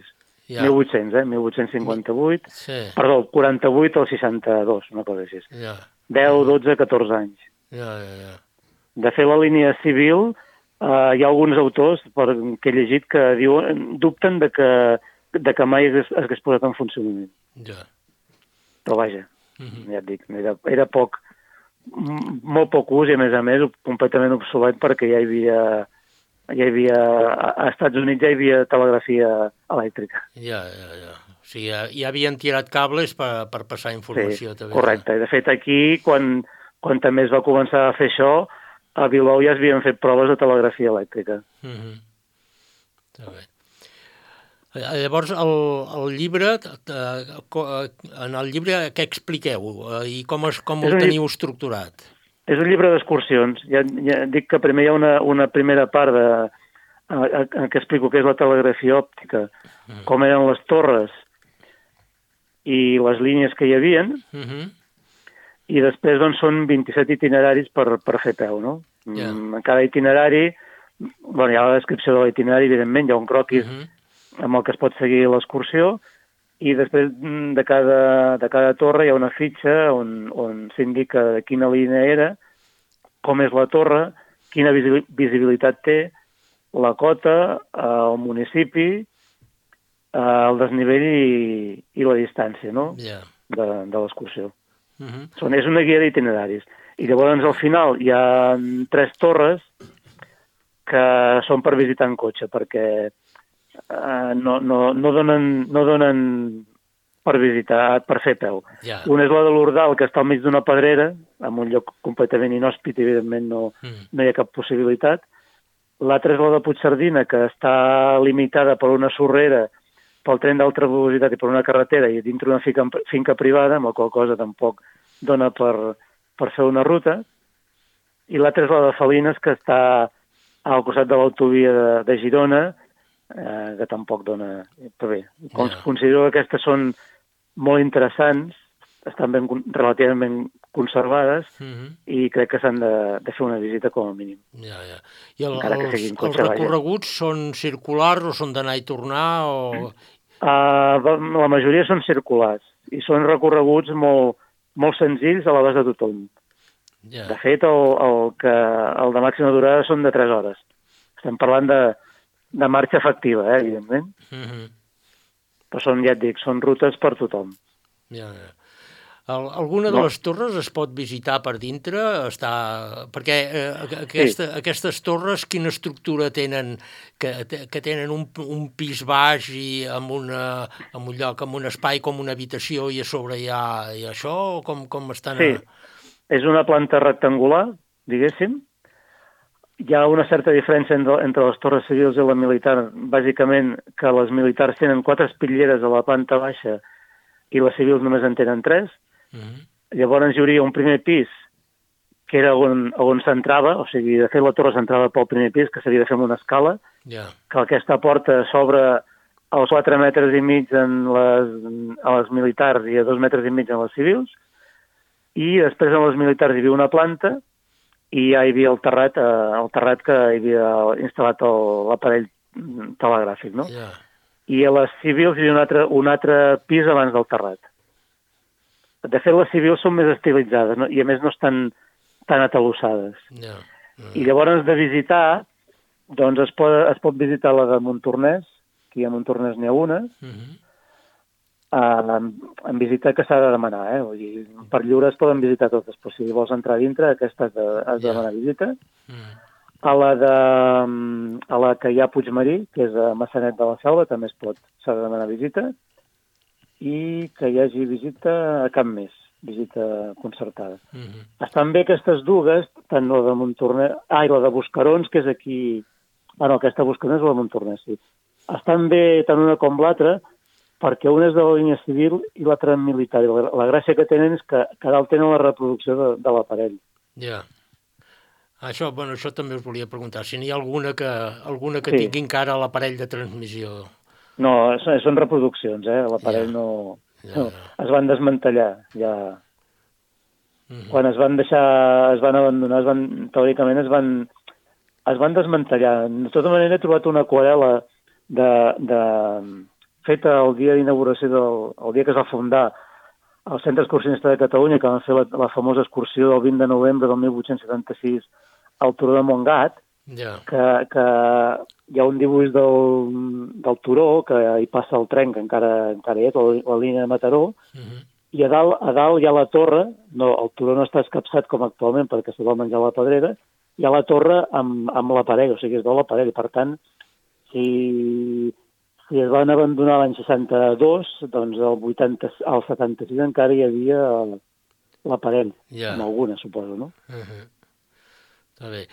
1800, 1858. Sí. Perdó, 48 al 62, una cosa així. 10, 12, 14 anys. De fet, la línia civil, hi ha alguns autors que he llegit que dubten de que mai hagués posat en funcionament. Però vaja, ja et dic, era molt poc ús i a més completament obsolet perquè ja hi havia a Estats Units ja hi havia telegrafia elèctrica. O sigui, ja havien tirat cables per passar informació. Sí, correcte. De fet, aquí, quan també es va començar a fer això, a Bilbao ja es havien fet proves de telegrafia elèctrica. Està bé. Llavors, el llibre, en el llibre què expliqueu i com el teniu estructurat? És un llibre d'excursions. Ja dic que primer hi ha una primera part en què explico què és la telegrafia òptica, com eren les torres i les línies que hi havia, i després doncs, són 27 itineraris per fer peu, no? En cada itinerari, hi ha la descripció de l'itinerari, evidentment, hi ha un croquis amb el que es pot seguir l'excursió, i després de cada torre hi ha una fitxa on s'indica de quina línia era, com és la torre, quina visibilitat té, la cota, el municipi, el desnivell i la distància, no?, de l'excursió. És una guia d'itineraris. I llavors al final hi ha 3 torres que són per visitar en cotxe, perquè no donen per visitar, per fer peu. Una és la de l'Ordal, que està al mig d'una pedrera, en un lloc completament inhòspit, i evidentment no hi ha cap possibilitat. L'altra és la de Puigcerdina, que està limitada per una sorrera, pel tren d'alta velocitat i per una carretera, i dintre una finca privada, amb la qual cosa tampoc dona per fer una ruta. I l'altra és la de Salines, que està al costat de l'autovia de Girona, que tampoc dona... Però bé, considero que aquestes són molt interessants, estan relativament conservades, i crec que s'han de fer una visita com a mínim. I els recorreguts són circulars o són d'anar i tornar? La majoria són circulars, i són recorreguts molt senzills a l'abast de tothom. De fet, el de màxima durada són de 3 hores. Estem parlant de marxa efectiva, evidentment. Però són, ja et dic, són rutes per tothom. Alguna de les torres es pot visitar per dintre? Perquè aquestes torres, quina estructura tenen? Que tenen un pis baix i amb un lloc, amb un espai com una habitació, i a sobre hi ha això? Com estan? Sí, és una planta rectangular, diguéssim. Hi ha una certa diferència entre les torres civils i la militar, bàsicament que les militars tenen 4 espitlleres a la planta baixa i les civils només en tenen 3. Llavors hi hauria un primer pis que era on s'entrava, o sigui, de fet la torre s'entrava pel primer pis, que s'havia de fer amb una escala, que aquesta porta s'obre als 4 metres i mig a les militars i a 2 metres i mig en les civils, i després en les militars hi havia una planta i ja hi havia el terrat que hi havia instal·lat l'aparell telegràfic, no? I a les civils hi havia un altre pis abans del terrat. De fet, les civils són més estilitzades, no? I a més no estan tan atalossades. I llavors de visitar, doncs es pot visitar la de Montornès, que a Montornès n'hi ha una, en visita que s'ha de demanar, Vull dir, per lliure es poden visitar totes, però si vols entrar dintre, aquesta has de demanar visita. A la que hi ha a Puigmarí, que és a Massanet de la Selva, també s'ha de demanar visita, i que hi hagi visita a Cap Més, visita concertada. Estan bé aquestes dues, tant la de Montornès... i la de Buscarons, que és aquí... no, aquesta Buscarons és la de Montornès, sí. Estan bé tant una com l'altra, perquè una és de la línia civil i l'altra militar. La gràcia que tenen és que dalt tenen la reproducció de l'aparell. Això també us volia preguntar, si n'hi ha alguna que tingui encara l'aparell de transmissió. No, són reproduccions, l'aparell no... Es van desmantellar, ja... Quan es van abandonar, teòricament es van desmantellar. De tota manera he trobat una aquarel·la feta el dia d'inauguració, el dia que es va fundar el Centre Excursionista de Catalunya, que van fer la famosa excursió del 20 de novembre del 1876 al Turó de Montgat, que hi ha un dibuix del Turó, que hi passa el tren, que encara hi és, la línia de Mataró, i a dalt hi ha la torre, el Turó no està escapçat com actualment perquè se va menjar la pedrera, hi ha la torre amb l'aparell, o sigui, es veu l'aparell. Per tant, si es van abandonar l'any 62, doncs al 76 encara hi havia l'aparell, amb alguna, suposo, no? Està bé.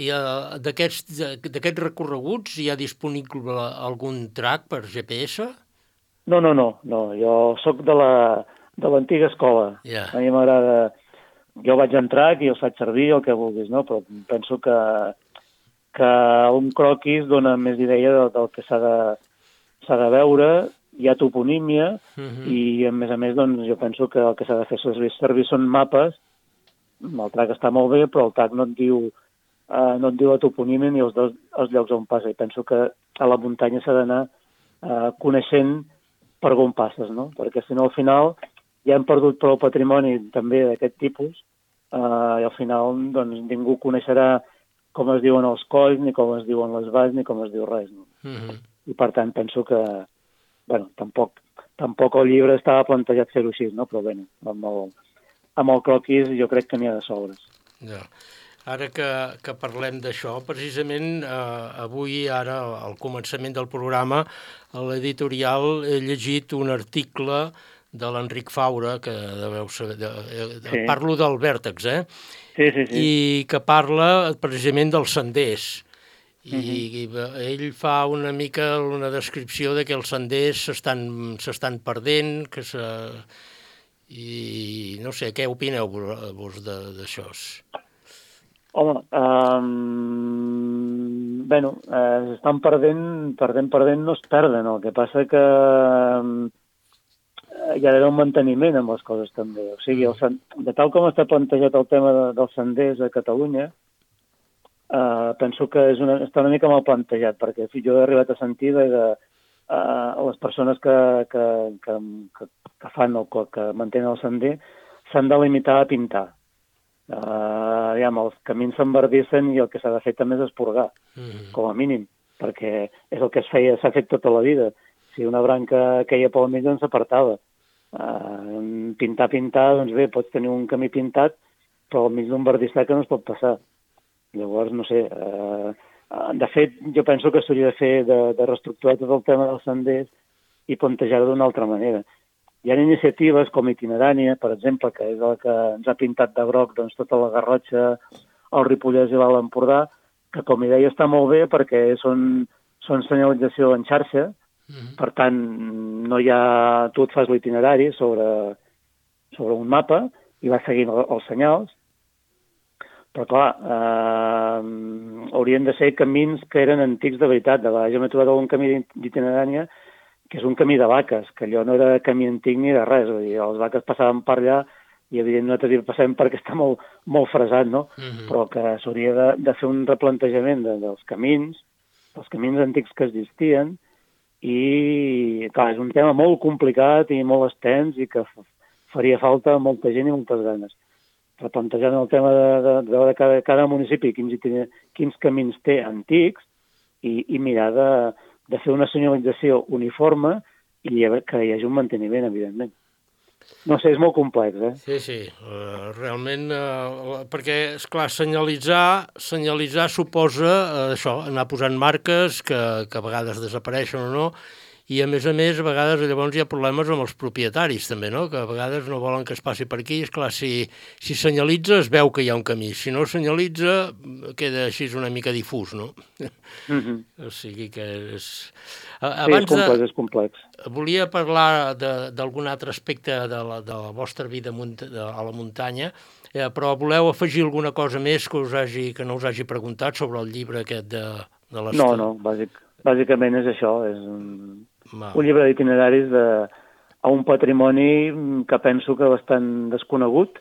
I d'aquests recorreguts hi ha disponible algun track per GPS? No. Jo soc de l'antiga escola. A mi m'agrada... Jo vaig en track i els faig servir, el que vulguis, no? Però penso que un croquis dona més idea del que s'ha de veure, hi ha toponímia, i a més, doncs, jo penso que el que s'ha de fer servir són mapes. El track està molt bé, però el track no et diu la toponímia ni els llocs on passa. I penso que a la muntanya s'ha d'anar coneixent per on passes, no? Perquè si no, al final, ja hem perdut prou patrimoni també d'aquest tipus, i al final doncs, ningú coneixerà com es diuen els colls, ni com es diuen les valls, ni com es diu res. No? I per tant penso que, tampoc el llibre estava plantejat fer-ho així, no? Però bé, amb el croquis jo crec que n'hi ha de sobres. Ara que parlem d'això, precisament avui, ara, al començament del programa, a l'editorial he llegit un article de l'Enric Faura, que deveu saber... Parlo del Vèrtex, Sí. I que parla precisament dels senders. I ell fa una mica una descripció de que els senders s'estan perdent, i no sé, què opineu vos d'això? Home, s'estan perdent no es perden. El que passa que hi ha d'haver un manteniment amb les coses també. O sigui, de tal com està plantejat el tema dels senders a Catalunya, penso que està una mica mal plantejat, perquè jo he arribat a sentir que les persones que fan que mantenen el sender s'han de limitar a pintar. Els camins s'enverdissen i el que s'ha de fer també és esporgar, com a mínim, perquè és el que s'ha fet tota la vida. Si una branca queia pel mig, doncs s'apartava. Pintar, doncs bé, pots tenir un camí pintat, però al mig d'un verdissar que no es pot passar. Llavors, no sé, de fet, jo penso que s'hauria de fer de reestructurar tot el tema dels senders i plantejar-ho d'una altra manera. Hi ha iniciatives com Itinerània, per exemple, que és la que ens ha pintat de groc doncs, tota la Garrotxa, el Ripollès i l'Alt Empordà, que, com hi deia, està molt bé perquè són senyalització en xarxa, per tant, no hi ha... tu et fas l'itinerari sobre un mapa i vas seguint els senyals, però, clar, haurien de ser camins que eren antics de veritat. De vegades jo m'he trobat algun camí d'itinerània que és un camí de vaques, que allò no era camí antic ni de res. Vull dir, les vaques passaven per allà i, evidentment, nosaltres hi passem perquè està molt fresat, no? Però que s'hauria de fer un replantejament dels camins antics que existien i, clar, és un tema molt complicat i molt extens i que faria falta molta gent i moltes ganes. Replantejant el tema de veure cada municipi quins camins té antics i mirar de fer una senyalització uniforme i que hi hagi un manteniment, evidentment. No sé, és molt complex, eh? Sí, realment, perquè, esclar, senyalitzar suposa això, anar posant marques que a vegades desapareixen o no, i a més, a vegades llavors hi ha problemes amb els propietaris també, no? Que a vegades no volen que es passi per aquí. Esclar, si senyalitza es veu que hi ha un camí, si no senyalitza queda així una mica difús, no? O sigui que és... és complex. Volia parlar d'algun altre aspecte de la vostra vida a la muntanya, però voleu afegir alguna cosa més que no us hagi preguntat sobre el llibre aquest de l'Estat? No, bàsicament és això, és un llibre d'itineraris a un patrimoni que penso que bastant desconegut,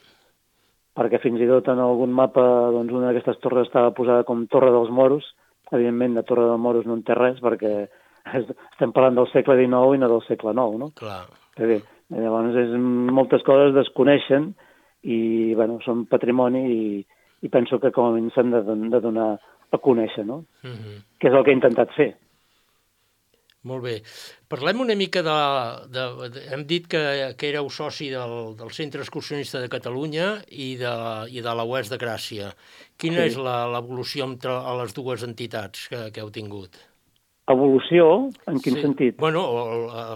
perquè fins i tot en algun mapa doncs, una d'aquestes torres estava posada com Torre dels Moros. Evidentment, de Torre dels Moros no en té res, perquè estem parlant del segle XIX i no del segle IX, no? Clar. Bé, llavors, moltes coses desconeixen i, bueno, són patrimoni i penso que com a mínim s'han de donar a conèixer, no? Que és el que he intentat fer. Molt bé. Parlem una mica hem dit que éreu soci del Centre Excursionista de Catalunya i de la UES de Gràcia. Quina és l'evolució entre les dues entitats que heu tingut? Evolució? En quin sentit? Bueno,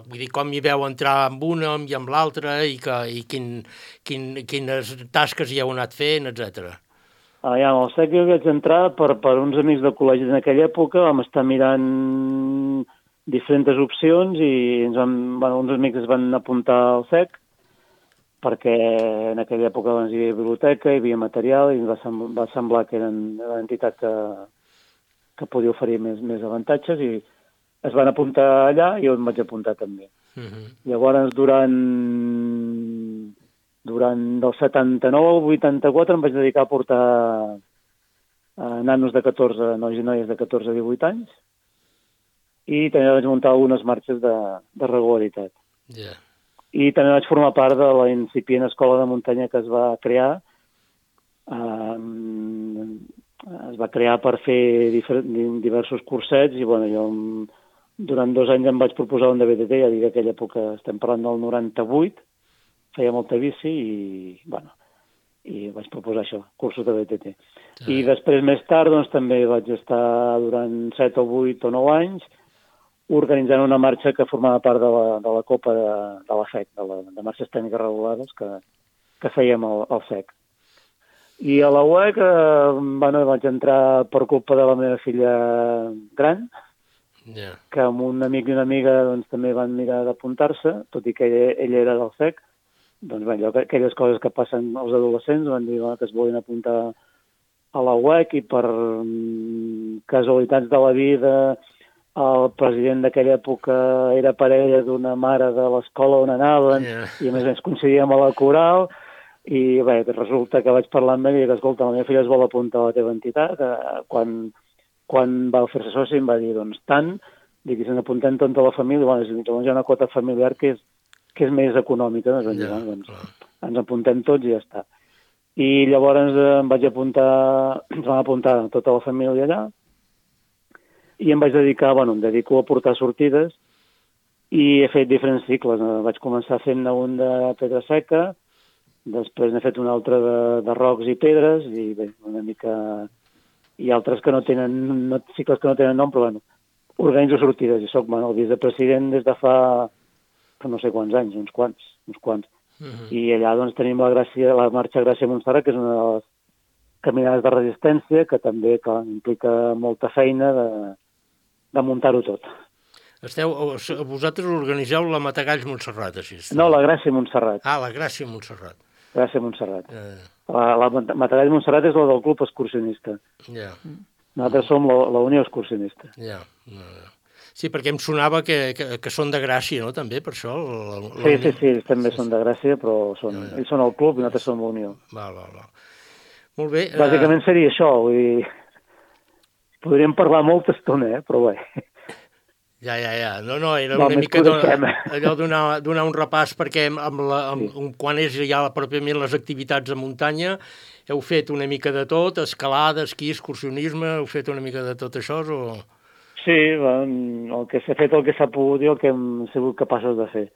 vull dir, com hi veu entrar amb una i amb l'altra i quines tasques hi heu anat fent, etcètera. El SEC jo vaig entrar per uns amics de col·legi en aquella època, vam estar mirant diferents opcions i uns amics es van apuntar al SEC perquè en aquella època hi havia biblioteca, hi havia material i ens va semblar que eren una entitat que podia oferir més avantatges i es van apuntar allà i jo em vaig apuntar també. Llavors, durant del 79 al 84 em vaig dedicar a portar nanos de 14, nois i noies de 14 a 18 anys i també vaig muntar algunes marxes de regularitat. I també vaig formar part de la incipient escola de muntanya que es va crear. Es va crear per fer diversos cursets i jo durant 2 anys em vaig proposar un de BTT, ja dic que aquella època estem parlant del 98, feia molta bici i vaig proposar això, cursos de BTT. I després, més tard, també vaig estar durant 7 o 8 o 9 anys organitzant una marxa que formava part de la Copa de la FEC, de marxes tècniques regulades que fèiem al SEC. I a la UEC vaig entrar per culpa de la meva filla gran, que amb un amic i una amiga també van mirar d'apuntar-se, tot i que ell era del SEC. Aquelles coses que passen als adolescents van dir que es volien apuntar a la UEC i per casualitats de la vida el president d'aquella època era parella d'una mare de l'escola on anaven i a més coincidíem a la coral i resulta que vaig parlar amb ell i que, escolta, la meva filla es vol apuntar a la teva entitat. Quan va fer-se soci em va dir, tant, i se n'apuntem tota la família, llavors hi ha una quota familiar que és més econòmica, ens apuntem tots i ja està. I llavors ens van apuntar tota la família allà i em vaig dedicar, em dedico a portar sortides i he fet diferents cicles. Vaig començar fent un de pedra seca, després n'he fet un altre de rocs i pedres i una mica... i altres que no tenen, cicles que no tenen nom, però organitzo sortides i soc el vicepresident des de fa no sé quants anys, uns quants. I allà doncs tenim la marxa Gràcia-Montserrat, que és una de les caminades de resistència, que també implica molta feina de muntar-ho tot. Vosaltres organitzeu la Matagalls-Montserrat, així? No, la Gràcia-Montserrat. Ah, la Gràcia-Montserrat. Gràcia-Montserrat. La Matagalls-Montserrat és la del club excursionista. Nosaltres som la Unió Excursionista. Sí, perquè em sonava que són de Gràcia, no?, també, per això? Sí, també són de Gràcia, però ells són el club i nosaltres som la Unió. Val. Molt bé. Bàsicament seria això, vull dir... Podríem parlar molta estona, però bé... Ja. No, era una mica allò donar un repàs, perquè quan és ja pròpiament les activitats a muntanya, heu fet una mica de tot, escalada, esquí, excursionisme, heu fet una mica de tot això, o...? Sí, el que s'ha fet, el que s'ha pogut i el que hem sigut capaços de fer.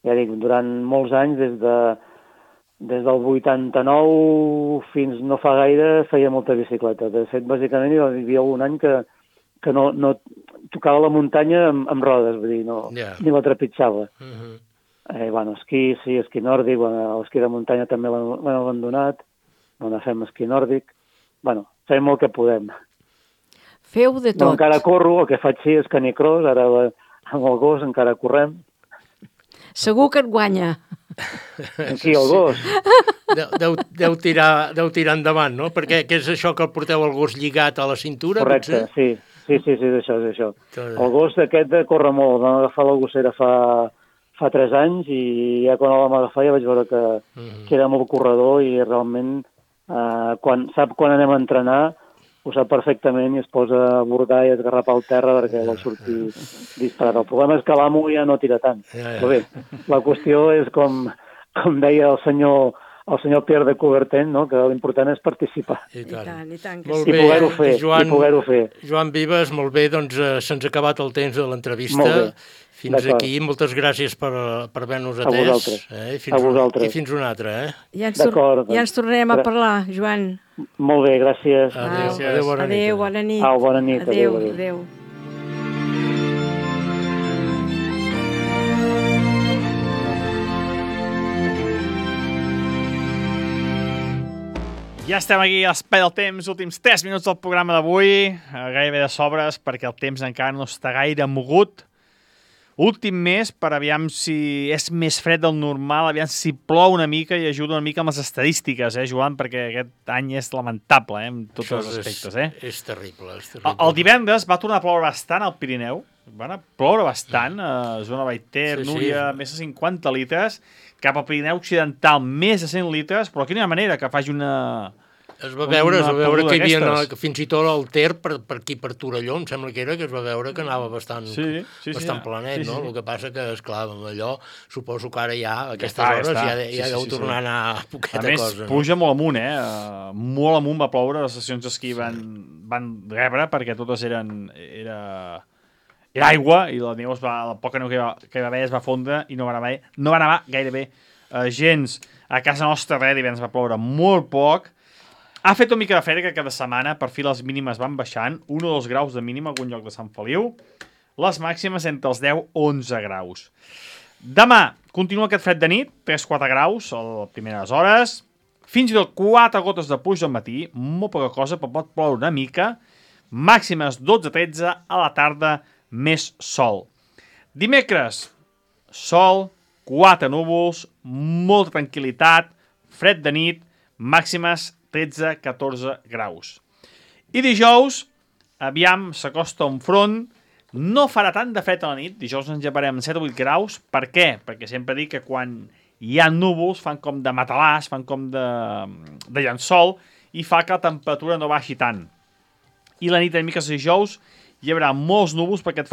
Ja dic, durant molts anys, des del 89 fins no fa gaire, feia molta bicicleta. De fet, bàsicament, hi havia un any que no tocava la muntanya amb rodes, vull dir, ni la trepitjava. Esquí nòrdic, l'esquí de muntanya també l'hem abandonat, fem esquí nòrdic, fem el que podem. Feu de tot. No, encara corro, el que faig és canicross, ara amb el gos encara correm. Segur que et guanya. Aquí, el gos. Deu tirar endavant, no? Perquè què és això que el porteu el gos lligat a la cintura? Correcte, sí, és això. El gos aquest corre molt. Vam agafar la gossera fa 3 anys i ja quan el vam agafar ja vaig veure que era molt corredor i realment sap quan anem a entrenar ho sap perfectament i es posa a bordar i a esgarrapar el terra perquè vol sortir disparat. El problema és que l'amo ja no tira tant. Però bé, la qüestió és com deia el senyor Pierre de Coubertin, no? Que l'important és participar. I tant. I poder-ho fer. Joan Vives, molt bé, doncs se'ns ha acabat el temps de l'entrevista. Fins aquí, moltes gràcies per haver-nos atès. A vosaltres. I fins una altra, Ja ens tornarem a parlar, Joan. Molt bé, gràcies. Adéu, bona nit. Adéu, bona nit. Bona nit. Adéu. Ja estem aquí a l'Espai del Temps, últims 3 minuts del programa d'avui, gairebé de sobres, perquè el temps encara no està gaire mogut. Últim mes, per aviam si és més fred del normal, aviam si plou una mica i ajuda una mica amb les estadístiques, Joan, perquè aquest any és lamentable, en tots els aspectes. És terrible. El divendres va tornar a ploure bastant al Pirineu, va ploure bastant, a zona Baiter, Núria, més de 50 litres, cap al Pirineu Occidental, més de 100 litres, però aquí no hi ha manera que faci una... Es va veure que hi havia fins i tot el Ter per aquí, per Torelló, em sembla que es va veure que anava bastant planet, no? El que passa que, esclar, amb allò, suposo que ara ja, a aquestes hores, ja deu tornar a anar poqueta cosa. A més, puja molt amunt, molt amunt va ploure, les estacions d'esquí van rebre, perquè totes era aigua, i la neu, la poca neu que hi va haver es va fondre, i no va anar gairebé gens. A casa nostra, divendres va ploure molt poc. Ha fet una mica de fred que cada setmana, per fi les mínimes van baixant, 1 o 2 graus de mínima a algun lloc de Sant Feliu, les màximes entre els 10 o 11 graus. Demà continua aquest fred de nit, 3-4 graus a les primeres hores, fins i tot 4 gotes de pluja al matí, molt poca cosa, però pot ploure una mica, màximes 12-13, a la tarda més sol. Dimecres, sol, 4 núvols, molta tranquil·litat, fred de nit, màximes 13-14 graus. I dijous, aviam, s'acosta un front, no farà tant de fred a la nit, dijous ens llevarem 7 o 8 graus. Per què? Perquè sempre dic que quan hi ha núvols fan com de matalàs, fan com de llençol, i fa que la temperatura no baixi tant. I la nit de dimecres a dijous hi haurà molts núvols perquè